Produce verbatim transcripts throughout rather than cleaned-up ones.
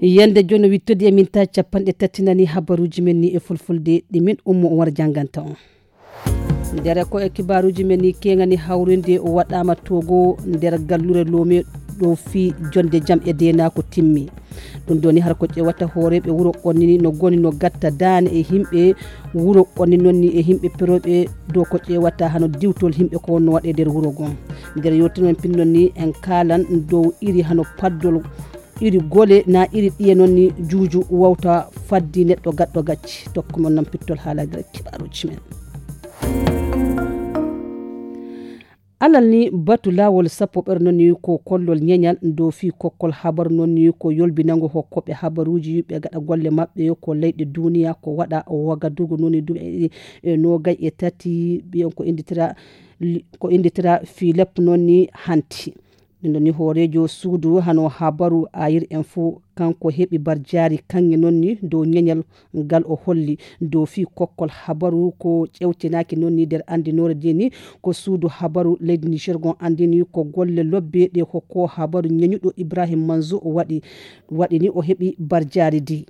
Yande jono wittodi e min ta capanɗe tati nani habaruji men ni e fulfulde ɗi min ummo on wara janganta on. Ndere ko e kibaruji men ni kengani hawrinde o waɗama togo nder gallure lome ɗo fi jonde jam e dena ko timmi. Ɗum ɗoni har ko ƴewata hooreɓe wuro qonnini no goni no gatta dane e himɓe wuro qonni nonni e himɓe peroɓe dow ko ƴewata hano diwtol himɓe ko wonno waɗe nder wuro gon. Nder yewtunon pinnon ni en kalan dow iri hano paddol iri gole na iri ɗiye noon ni juuju wawta faddi neɗɗo gaɗɗo gacci tokko mon noon pittol haala nder kibaruji men. Alal ni batu laawol sappo ɓer noon ni ko kollol ñeñal dow fii kokkol habaru noon ni ko yolbinango hokkoɓe habaruuji ɓe gaɗa golle maɓɓe ko leyɗe duniya ko waɗa wagadugu noon ni duuɓi e nogay e tati ɓiyon ko inditira ko inditira filep noon ni hanti. Ɗum ɗo ni hooreejo suudu hano habaru ayir en fo kanko heɓi barjaari kaŋŋe noon ni dow ñeñal ngal o holli dow fii kokkol habaru ko ƴewtinaaki noon ni nder anndinoore de ni ko suudu habaru leydi niger gon anndini ko golle lobbe ɗe hokko habaru ñeñuɗo ibrahim manzo o waɗi waɗi ni o heɓi barjaari di.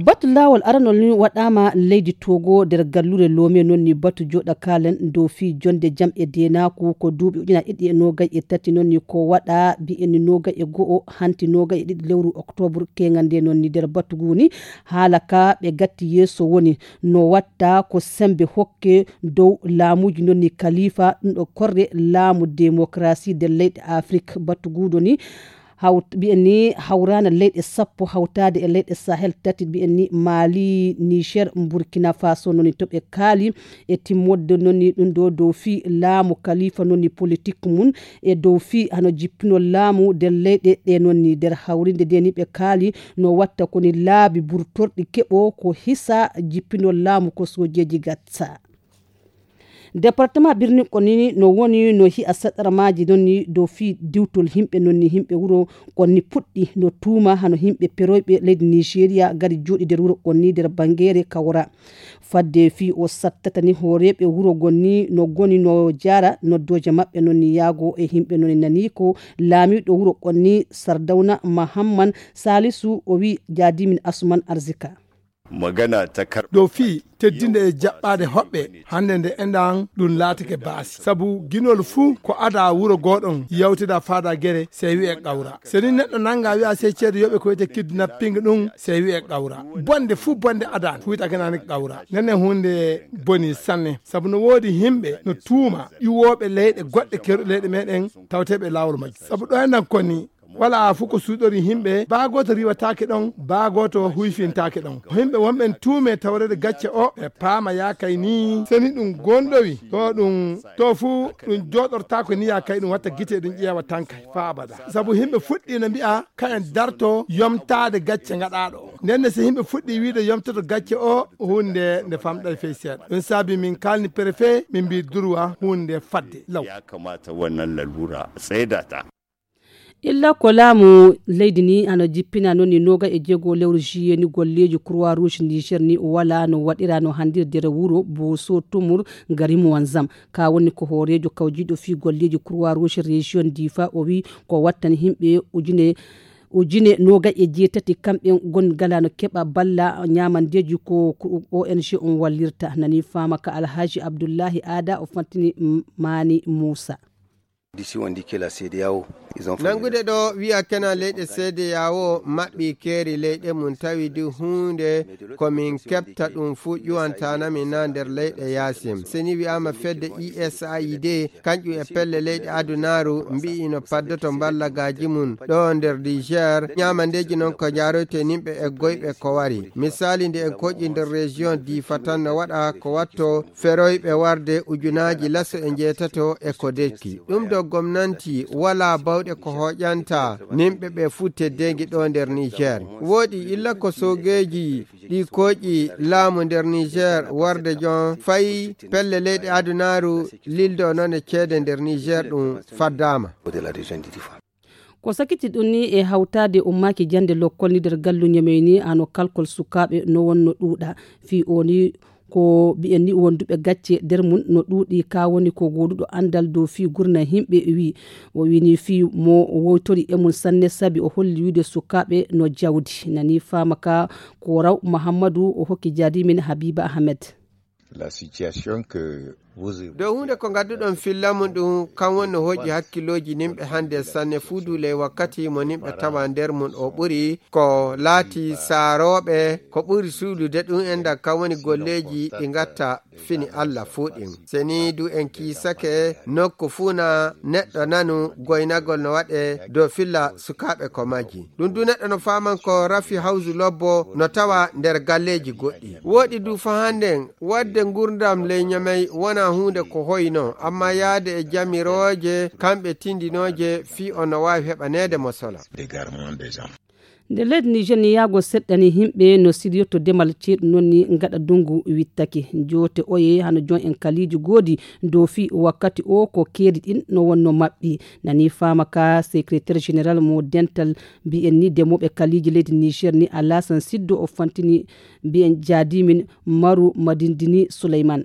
Batu laawol aranol ni waɗama leydi togo nder gallure loome noon ni batu joɗa kalen dow fii jonde jam e denaku ko duuɓi ujuna ɗiɗi e nogay e tati noon ni ko waɗa mbiyen ni nogay e go'o hanti nogay e ɗiɗi lewru octobre kengande noon ni nder batu guni haala ka ɓe gatti yeeso woni no watta ko sembe hokke dow laamuji noon ni kalifa ɗum ɗo korre laamu démocratie nder leyɗe afrique batu guɗo ni hawt mbiyen ni hawrana leyɗe sappo hawtade e leyɗe sahel tati mbiyen ni mali niger burkina faso noni to ɓe kaali e timmodde noni ɗum ɗo dow fii laamu kalifa noni politique mum e dow fii hano jippinol laamu nder leyɗe ɗe noni nder hawrinde nde ni ɓe kaali no watta koni laabi burtorɗi keɓo ko hisa jippinol laamu ko sojeji gatsa. Département birni koni no woni no hi'a saɗarmaaji nonni dow fii diwtol himɓe nonni himɓe wuro konni puɗɗi no tuuma hano himɓe peroyɓe leydi nigeria gari jooɗi nder wuro konni nder bangere kawra fadde fii o sattatani hooreɓe wuro gonni no goni no jara noddooje maɓɓe nonni yaago e himɓe nonni nani ko laamiɗo wuro konni sardawna mahamman salisu o wi jaadimin asuman arzika. Magana ta kar ɗo fii teddinde e jaɓɓaade hoɓɓe hannde nde enɗan ɗum laatike baasi sabu ginol fuu ko ada wuro gooɗon yawtida faada gere sey wi'e qawra seni neɗɗo nannga wi'a sey ceede yoɓe ko wiyete kidnapping ɗum sey wi'e qawra bonde fuu bonde adan fuytakinani qawra nene hunde boni sanne sabu no woodi himɓe no tuuma ƴuwooɓe leyɗe goɗɗe kerɗe leyɗe meɗen tawteɓe laawol majji sabu ɗo enɗan koni wala fuu ko suuɗori himɓe baa gooto riwataake ɗon baa gooto huyfintaake ɗon himɓe wonɓen tuume tawrede gacce o ɓe paama yaakay ni seni ɗum gondowi to ɗum to fuu ɗum jooɗortaako ni yaakay ɗum watta gite ɗum ƴeewa tankay faa abada sabu himɓe fuɗɗiino mbi'a kayen darto yomtaade gacce ngaɗaaɗo o ndenne so yimɓe fuɗɗi wiide yomtoto gacce o hunde nde famɗay fey seeɗa ɗum saabi min kalni préfet min mbi durwa hunde fadde law. Ya kamata wannan lalura tsaida ta. Illa ko laamu leydi ni hano jippina noon ni noga e jeego lewru juillet ni golleeji croix rouge niger ni wala no waɗira no handir nder wuro boso tumur ngari muwanzam ka woni ko hooreejo kawjiiɗo fii golleeji croix rouge région difa o wi ko wattani himɓe ujune ujune noga e jeetati kamɓe gon gala no keɓa balla ñamandeeji ko ong on wallirta nani fama ka alhaji abdullahi ada o fantini mani moussa. Nangude ɗo wi'a kena leyɗe seede yawo maɓɓi keeri leyɗe mum tawi du huunde ko min keɓta ɗum fuu ƴuwantanami na nder leyɗe yaasim. Seni wi'ama fedde usaid kanƴum e pelle leyɗe adunaaru mbi'i no paddoto mballagaaji mum ɗo nder niger ñaamandeeji noon ko njaaroyte nimɓe e goyɓe ko wari. Misaali nde en koƴi nder région difa tan no waɗa ko watto feroyɓe warde ujunaaji laso e njeetato e ko dekki ɗum ɗo gomnanti wala bawɗe ko hoƴanta nimɓe ɓe fuu teddeengi ɗo nder niger. Wooɗi illa ko soogeeji ɗi koƴi laamu nder niger warde jon fayi pelle leyɗe adunaaru lildo noon e ceede nder niger ɗum faddaama. Ko sakiti ɗum ni e hawtaade ummaaki jannde lokkol ni nder gallu ñamey ni hano kalkol sukaaɓe no wonno ɗuuɗa fii o ni Ko mbiyen ni wonduɓe gacce nder mum no ɗuuɗi, ka woni ko gooduɗo anndal dow fii gurna yimɓe wi. O wini fii mo wowtori e mum sanne, sabi o holli wiide sukaaɓe no jawdi. Nani faama ka ko raw Mahammadu o hokki jaadi min Habiba Ahmed. La situation que vous dow huunde ko ngadduɗon filla mum ɗum, kan woni no hoƴi hakkillooji nimɓe hannde sanne, fuu duule wakkati mo nimɓe tawa nder mum o ɓuri ko laati saarooɓe, ko ɓuri suuɗude ɗum enɗam kan woni golleeji ɗi ngatta fini Allah fuu ɗin. Seni du en kiisake nokku fuu na neɗɗo nanu goynagol no waɗe dow filla sukaaɓe ko majji. Ɗum du neɗɗo no faaman ko rafi hawsu lobbo no tawa nder galleeji goɗɗi. Wooɗi du fa hannden wadde ngurdam ley Ñamey wona huunde ko hoyno, amma yaade e jamirooje kamɓe tindinooje fii on no waawi heɓaneede mo sola. Nde leydi Niger ni yaago seɗɗani yimɓe no siryoto demal ceeɗu noon ni gaɗa dungu wittake. Joote oye hano jon en kaliiji goodi dow fii wakkati o ko keeri ɗin no wonno maɓɓi. Nani faama ka secrétaire général mo dental mbiyen ni demooɓe kaliiji leydi Niger ni Alasan Siddo o fantini mbiyen jaadi min Maru Madindini Suleyman.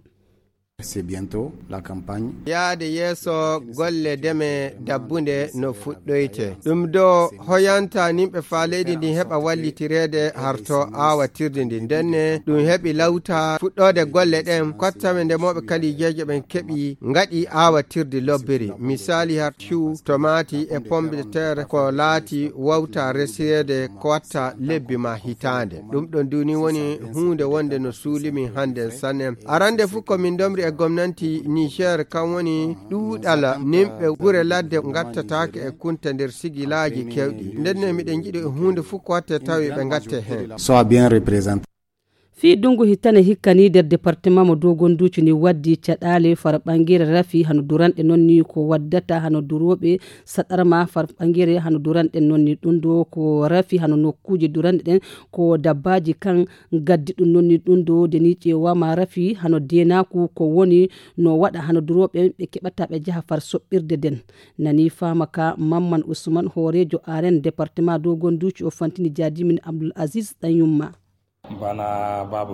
C'est bientôt la campagne. Yaade yeeso golle deme dabbunde no fuɗɗoyte. Ɗum do hoyanta nimɓe faa leydi ndin heɓa wallitireede harto aawatirde ndi. Ndenne ɗum heɓi lawta fuɗɗoode golle ɗen, kottame ndemooɓe kaliijeeje ɓen keɓi ngaɗi aawatirde lobbiri. Misaali har cu, tomaati e pomme de terre ko laati wawta resireede ko watta lebbi ma hitaande. Ɗum ɗon duni woni huunde wonde no suuli min hannden sanne. Arande fu ko min ndomri e gomnanti Niger kan woni ɗuuɗal nimɓe gure ladde ngattataake e kunta nder sigilaaji kewɗi. Ndenne miɗen njiɗi huunde fu ko watte tawi ɓe ngatte heen. Soit bien représenté. Fii dungu hitane hikka ni nder departement mo Dogonduuci ni waddi caɗaale far ɓangere rafi hano duranɗe noon ni ko waddata hano durooɓe saɗarma far ɓangere hano duranɗe noon ni ɗum ɗo ko rafi hano nokkuuje duranɗe ɗen ko dabbaaji kan gaddi ɗum noon ni ɗum ɗo de ni ƴeewama rafi hano deenaaku ko woni no waɗa hano durooɓe ɓe keɓata ɓe jaha far soɓɓirde den. Nani faama ka Mamman Usman hooreejo aren departement Dogonduuci o fantini jaadimin Abdul Aziz Ɗanyumma.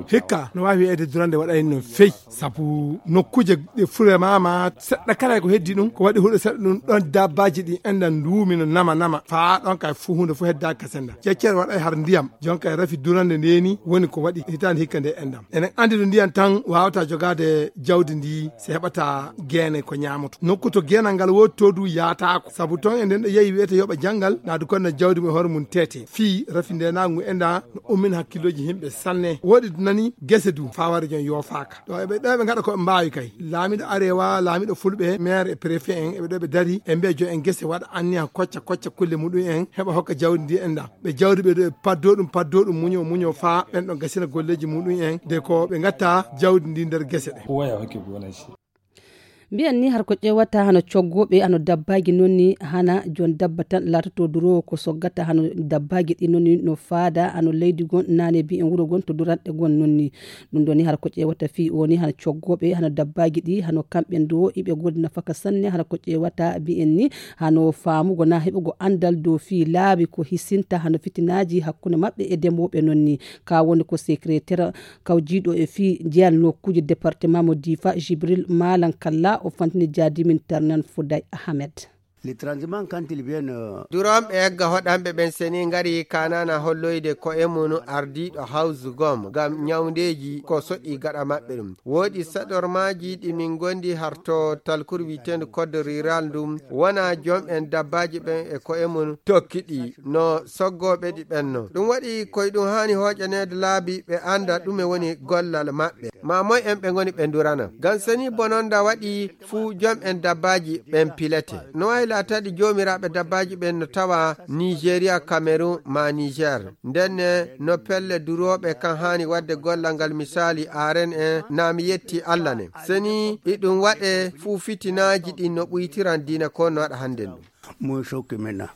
Hikka no waawi wiyeede durande waɗay no fey sabu nokkuuje ɗe furemaama seɗɗa kala ko heddi ɗum ko waɗi huɗo seɗɗa ɗum ɗon dabbaaji ɗi enɗan nduumi no nama nama faa ɗon kay fuu huunde fof heddaaki ka sennda jeccere waɗay har ndiyam jon kay rafi durande ndeeni woni ko waɗi hitaande hikka nde enɗam enen anndi no ndiyam tan waawata jogaade jawdi ndi si heɓata geene ko ñaamoto nokku to geenal ngal woni to du yaataako sabu toon e nden ɗo yehi wiyete yoɓa janngal naadu kon no jawdi mum e hoore mum teete fii rafi ndenaagu ngu enɗa no ummin hakkillooji yimɓe sanne woɗi nani gese du fawaare jon yoofaaka ɗo eɓe ɗo eɓe ngaɗa ko ɓe mbaawi kay laamiɗo arewa laamiɗo fulɓe maire e préfet en eɓe ɗo ɓe dari e mbiya jo en gese waɗa anniya kocca kocca kulle muɗum en heɓa hokka jawdi ndi enɗa ɓe jawdi ɓe ɗo ɓe paddo ɗum paddo ɗum muño muño faa ɓen ɗo gasina golleeji muɗum en de ko ɓe ngatta jawdi ndi nder gese ɗe. Mbiyen ni har ko ƴeewata hano coggooɓe hano dabbaaji noon ni hana jon dabba tan laatoto duroowo ko soggata hano dabbaaji ɗi noon ni no faada hano leydi gon naane mbiyen wuro gon to duranɗe gon noon ni ɗum ɗo ni har ko ƴeewata fii o ni hano coggooɓe hano dabbaaji ɗi hano kamɓe ndo iɓe goodi nafaka sanne hano ko ƴeewata mbiyen ni hano faamugo na heɓugo anndal dow fii laabi ko hisinta hano fitinaaji hakkunde maɓɓe e demooɓe noon ni ka woni ko secrétaire kawjiiɗo e fii jeyal nokkuuje département mo Difa Jibril Malan Kalla o fantini jaadimin Tarnan Fuday Ahmed. Les transhumants quand ils viennent euh, duronɓe egga hoɗanɓe ɓen seni ngari kanana holloyde ko e mum ardiiɗo hawsu gom ngam ñawndeeji ko soɗi gaɗa maɓɓe ɗum woodi saɗormaaji ɗi min ngondi harto talkur wiiteendu code rural ndum wona joom en dabbaaji ɓen e ko e mum tokki ɗi no soggooɓe ɗi ɓenno ɗum waɗi koye ɗum haani hooƴaneede laabi ɓe annda ɗume woni gollal maɓɓe ma moy en ɓe ngoni ɓe ndurana ngam seni bononda waɗi fuu jom en dabbaaji ɓen pilete no waawi laataade joomiraaɓe dabbaaji ɓen no tawa nigeria cameroun ma niger ndenne no pelle durooɓe kan haani waɗde gollal ngal misaali aren en na mi yetti allah ne seni iɗum waɗe fuu fitinaaji ɗin no ɓuytiran diina ko no waɗa hannden ɗum.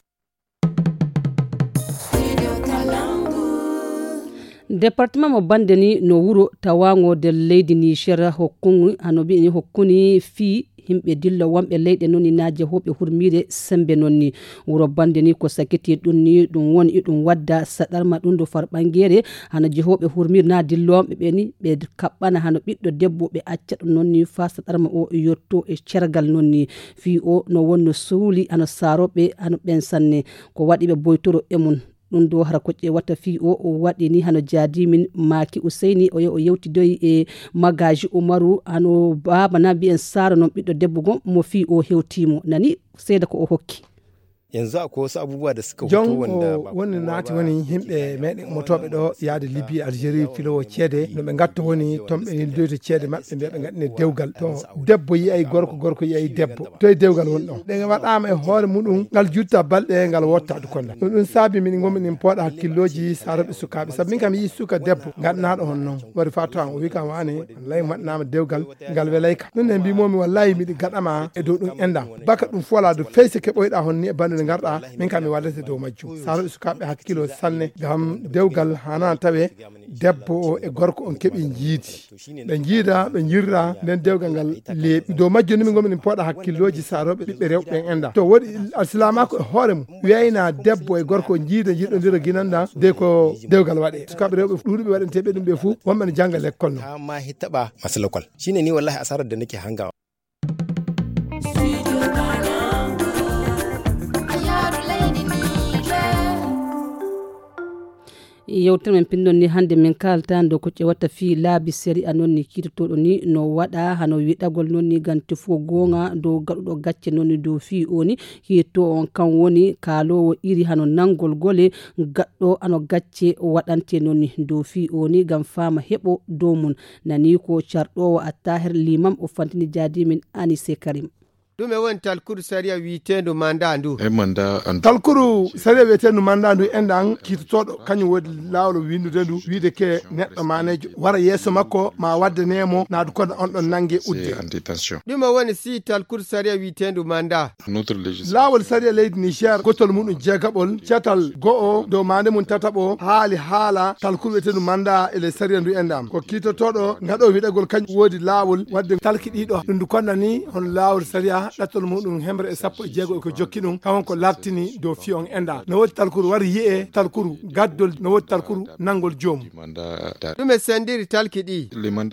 Departement mo bande ni no wuro tawango nder leydi Niger hokkuni, hano mbi'e ni hokkuni fii himɓe dillo wonɓe leyɗe non ni na jehooɓe hurmiire sembe non ni. Wuro bande ni ko sakiti ɗum ni ɗum woni iɗum wadda saɗarma ɗum do farɓangere hano jehooɓe hurmiire na dillooɓe ɓe ni ɓe kaɓɓana hano ɓiɗɗo debbo ɓe acca ɗum non ni faa saɗarma o yotto e cergal non ni. Fii o no wonno suuli hano saaroɓe hano ɓen sanne ko waɗi ɓe boytoro e mum. Ɗum ɗo hara ko ƴeewata fii o, o waɗi ni hano jaadi min Maaki Useyni, o ye-, o yewtidoyi e Magaaji Umaru, hano baaba na mbiyen Saara non ɓiɗɗo debbo gom mo fii o hewtii mo. Nani seeda ko o hokki. Yanzu akwai wasu abubuwa da suka fito. Jon wanda o ba woni kowa naati ba woni ke yimɓe gane meɗen ba umotooɓe ɗo yaade Libi, Algérie, filowo ceede. No ɓe ngatto woni ton ɓe nildoyto ceede maɓɓe mbiya ɓe ngaɗine dewgal. To debbo yiyay gorko, gorko yiyay debbo. To e dewgal woni ɗon. Ɗen waɗaama e hoore muɗum, ngal jutta balɗe, ngal wotta du kolla. Ɗum ɗum saabi min ngommi min pooɗa hakkillooji saroɓe sukaaɓe. Sabu min kam mi yii suka debbo, ngaɗanaaɗo hon non. Wari faa to an, o wi kam waane, wallahi mi waɗanaama dewgal, ngal welay kam. Ɗum ne mbimomi wallahi miɗi gaɗama e dow ɗum enɗam. Baka ɗum fola du fey se keɓoyɗa hon ni e bandude ngarɗa, min kam mi waddete dow majjum. Saroɓe sukaaɓe hakkilo sanne, ngam dewgal hana tawe debbo o e gorko on keɓi njiidi. Ɓe njiida, ɓe njirra, nden dewgal ngal leeɓi. Dow majjum ni min ngomi min pooɗa hakkillooji saroɓe ɓiɓɓe rewɓe ɓen enɗam. To woɗi alsilamaaku e hoore mum, wiyayna debbo e gorko njiida, njiɗodira ginanɗam, de ko dewgal waɗe. Sukaaɓe rewɓe ɗuuɗuɓe waɗanteɓe ɗum ɓe fuu, wonɓe no janga lekkol non. Ta ma hittaɓa masalakol. Shine ni wallahi asarar da nake hangawa. Yewtere men pinndon ni hannde min kaalta ndo ko ƴewata fii laabi sariya non ni kiitotooɗo ni no waɗa hano wiɗagol non ni ganti fof goonga dow gaɗuɗo gacce non ni dow fii o ni kiito on kan woni kaaloowo iri hano nanngol gole gaɗɗo hano gacce waɗante non ni dow fii o ni ngam faama heɓo dow mum. Nani ko carɗoowo Attahir Limam o fantini jaadi min Anise Karim. Ɗume woni talkuru sariya wi'eteendu manda ndu? E manda an. Talkuru sariya wi'eteendu manda ndu enɗan kiitotooɗo, kañum woni laawol winndude ndu, wiide ke neɗɗo maneejo wara yeeso makko, ma waddane mo, naadu kono on ɗon nange udde. C'est en détention. Ɗume woni si talkuru sariya wi'eteendu manda? Notre législation. Laawol sariya leydi Niger, gotol muɗum jeegaɓol, catal go'o, dow maande mum tataɓo, haali haala talkuru wi'eteendu manda e ley sariya ndu enɗan. Ko kiitotooɗo ngaɗo wiɗagol kañum woodi laawol wadde talki ɗiɗo. Ɗum ndu konna ni hono laawol sariya ɗattol muɗum hemre e sappo e jeego e ko jokki ɗum, kawon ko lartini dow fii on enɗan. No woodi talkuru wari yi'e, talkuru gaddol, no woodi talkuru nanngol joomum. Ɗume sendiri talki ɗi?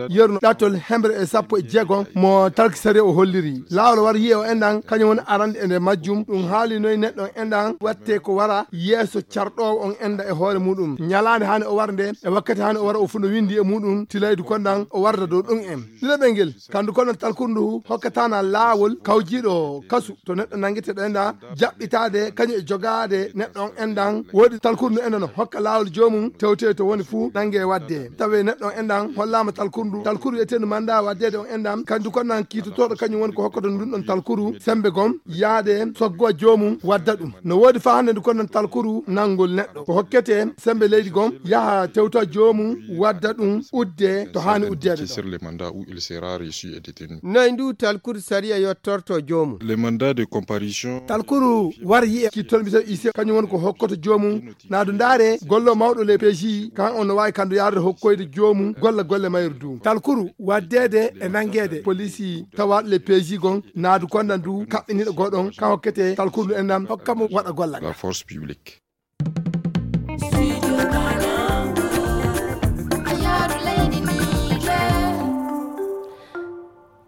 Yerno ɗattol hemre e sappo e jeego mo talki sariya o holliri. Laawol wari yi'e o enɗan, kañum woni arande e nder majjum. Ɗum haali noy neɗɗo on enɗan watte ko wara yeeso carɗoowo on enɗan e hoore muɗum. Ñalaande haani o wara nde, e wakkati haani o wara o fuu no winndi e muɗum, tilaydu kon ɗan o warda dow ɗum en. Ɗiɗaɓel ngel, kandu kon ɗan talkuru ndu hokkataana laawol kawjiiɗo kasu to neɗɗo nanngeteeɗo enɗan jaɓɓitaade kañum e jogaade neɗɗo on enɗan. Woodi talkuru ndu enɗan no hokka laawol joomum tewtoye to woni fuu nannge wadde. Tawe neɗɗo on enɗan hollaama talkuru ndu. Talkuru wi'eteendu manda waddeede on enɗan, kandu kon ɗan kiitotooɗo kañum woni ko hokkoto ndun ɗon talkuru sembe gom yaade soggo joomum wadda ɗum. No woodi faa hannde ndu kon ɗan talkuru nanngol neɗɗo. Ko hokkete sembe leydi gom yaha tewta joomum wadda ɗum udde to haani uddeede ɗon. Sur le mandat où il sera reçu et détenu. Noy ndu talkuru sariya yottorto joomum? Le mandat de comparution. Talkuru war yi'e ki tolmita ise kañum woni ko hokkoto joomum. Naadu ndaare gollo mawɗo le P J kan on no waawi kandu yaarde hokkoyde joomum golla golle mayru du. Talkuru waddeede e nanngeede polisi tawaaɗo le P J gon naadu kon ɗan du kaɓɓiniiɗo goɗon kan hokkete talkuru ndu enɗan hokka mo waɗa golla. La force publique.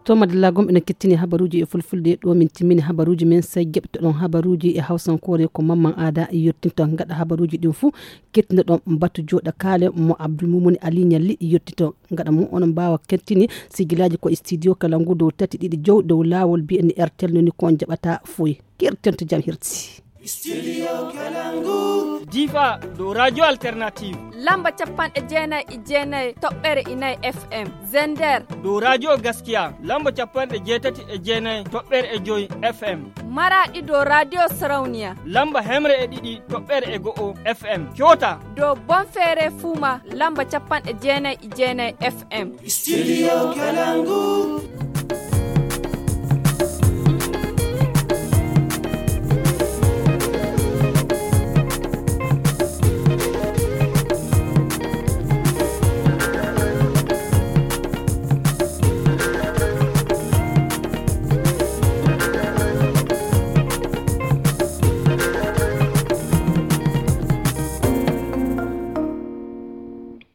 To madalla gom ene kettini habaruuji e fulfulde ɗo min timmini habaruuji men sey geɓtoɗon habaruuji e hawsankoore ko mamman aada yettinto gaɗa habaruuji ɗin fuu kettinoɗon batu jooɗa kaale mo abdoulmumuni ali ñalli yettinto gaɗa mum onon mbaawa kettini sigilaaji ko e studio kala ngu dow tati ɗiɗi jow dow laawol mbiyen R T L noni ko on jaɓata foy. Kertento jam hirti. Difa ɗo radio alternative. Lamba capanɗe jeenayi e jeenayi toɓɓere inayi F M. Zender ɗo radio gaskiya lamba capanɗe jeetati e jeenayi toɓɓere e joyi F M. Maraɗi ɗo radio sarauniya lamba hemre e ɗiɗi toɓɓere e go'o F M. Kyota ɗo bonfere fuma lamba capanɗe jeenayi e jeenayi F M. Studio Kalangu.